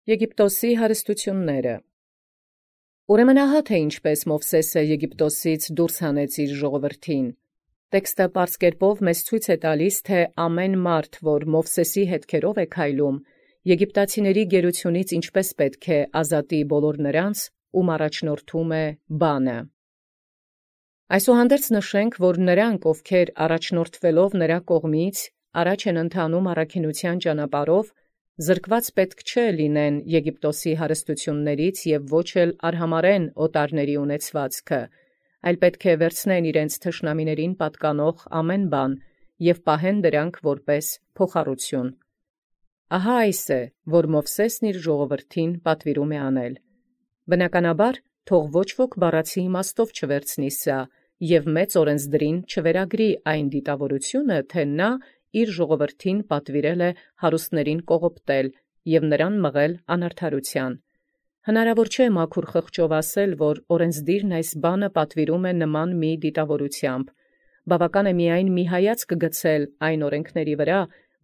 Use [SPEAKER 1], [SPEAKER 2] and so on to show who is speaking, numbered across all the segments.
[SPEAKER 1] Եգիպտոսի հարստությունները։ Ուրեմն ահա թե ինչպես Մովսէսը Եգիպտոսից դուրս հանեց իր ժողովրդին։ Տեքստը պարզ կերպով մեզ ցույց է տալիս, թե ամեն մարդ, որ Մովսէսի հետքերով է քայլում, եգիպտացիների գերությունից ինչպես պետք է ազատի բոլոր նրանց, ում առաջնորդում է բանը։ Այսուհանդերձ նշենք, որ նրանք, ովքեր առաջնորդվելով նրա կողմից, առաջ են ընթանում առաքինության ճանապարհով, զրկված պետք չէ լինեն Եգիպտոսի հարստություններից և ոչ էլ արհամարեն օտարների ունեցվածքը, այլ պետք է վերցնեն իրենց թշնամիներին պատկանող ամեն բան և պահեն դրանք որպես փոխառություն։ Ահա այս է, որ Մովսէսն իր ժողովրդին պատվիրում է անել։ Բնականաբար, թող ոչ ոք բառացի իմաստով չվերցնի սա և մեծ օրենսդրին չվերագրի այն դիտավորությունը, թե նա իր ժողովրդին պատվիրել է հարուստներին կողոպտել և նրան մղել անարդարության։ Հնարավոր չէ մաքուր խղճով ասել, որ օրենսդիրն այս բանը պատվիրում է նման մի դիտավորությամբ։ Բավական է միայն մի հայացք գցել այն օրենքների վրա,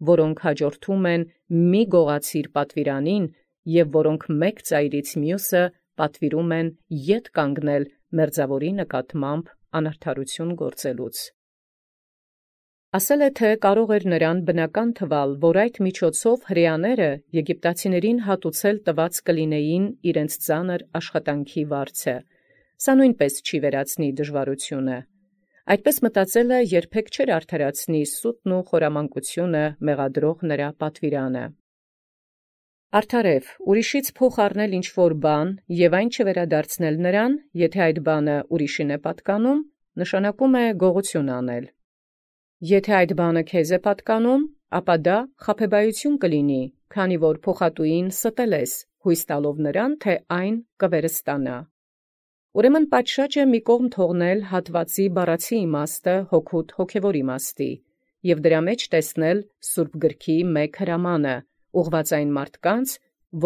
[SPEAKER 1] որոնք հաջորդում են մի գողացիր պատվիրանին և որոնք մեկ ծայրից մյուսը պատվիրում են ետ կանգնել մերձավորի նկատմամբ անարդարություն գործելուց։ Ասել է, թե կարող էր նրան բնական թվալ, որ այդ միջոցով հրեաները եգիպտացիներին հատուցել տված կլինեին իրենց ծանր աշխատանքի վարձը։ Սա նույնպես չի վերացնի դժվարությունը։ Այդպես մտածելը երբեք չէր արդարացնի սուտն ու խորամանկությունը մեղադրող նրա պատվիրանը։ Արդարև, ուրիշից փոխ առնել ինչ-որ բան և այն չվերադարձնել նրան, եթե այդ բանը ուրիշին է պատկանում, նշանակում է գողություն անել։ Եթե այդ բանը քեզ է պատկանում, ապա դա խաբեբայություն կլինի, քանի որ փոխատուին ստել ես, հույս տալով նրան, թե այն կվերստանա։ Ուրեմն պատշաճ է մի կողմ թողնել հատվածի բառացի իմաստը հոգուտ հոգևոր իմաստի և դրա մեջ տեսնել Սուրբ Գրքի մեկ հրամանը, ուղղված այն մարդկանց,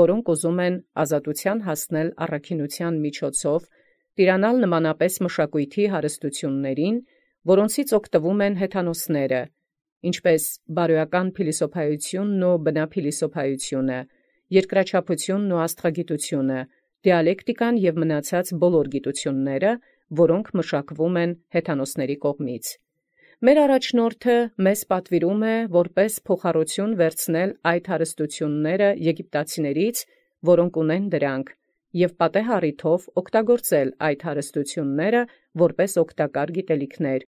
[SPEAKER 1] որոնք ուզում են ազատության հասնել առաքինության միջոցով, տիրանալ նմանապես մշակույթի հարստություններին, որոնցից օգտվում են հեթանոսները, ինչպես բարոյական փիլիսոփայությունն ու բնափիլիսոփայությունը, երկրաչափությունն ու աստղագիտությունը, դիալեկտիկան և մնացած բոլոր գիտությունները, որոնք մշակվում են հեթանոսների կողմից։ Մեր առաջնորդը մեզ պատվիրում է որպես փոխառություն վերցնել այդ հարստությունները եգիպտացիներից, որոնք ունեն դրանք, և պատեհ առիթով օգտագործել այդ հարստությունները որպես օգտակար գիտելիքներ,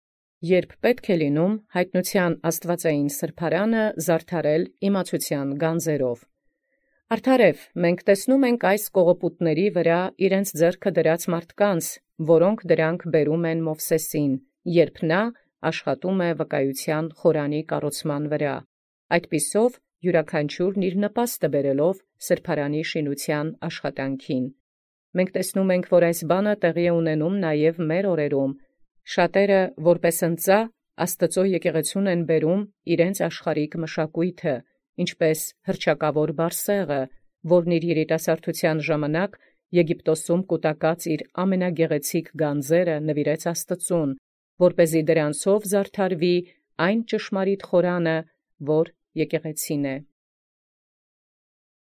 [SPEAKER 1] երբ պետք է լինում հայտնության աստվածային սրբարանը զարդարել իմացության գանձերով։ Արդարև, մենք տեսնում ենք այս կողոպուտների վրա իրենց ձեռքը դրած մարդկանց, որոնք դրանք բերում են Մովսեսին, երբ նա աշխատում է վկայության խորանի կառուցման վրա, այդպիսով յուրաքանչյուրն իր նպաստը բերելով սրբարանի շինության աշխատանքին։ Մենք տեսնում ենք, որ այս բանը տեղի է ունենում նաև մեր օրերում։ Շատերը, որպես ընծա, Աստծո եկեղեցուն են բերում իրենց աշխարհիկ մշակույթը, ինչպես հռչակավոր Բարսեղը, որն իր երիտասարդության ժամանակ Եգիպտոսում կուտակած իր ամենագեղեցիկ գանձերը նվիրեց Աստծուն, որպեսզի դրանցով զարդարվի այն ճշմարիտ խորանը, որ եկեղեցին է։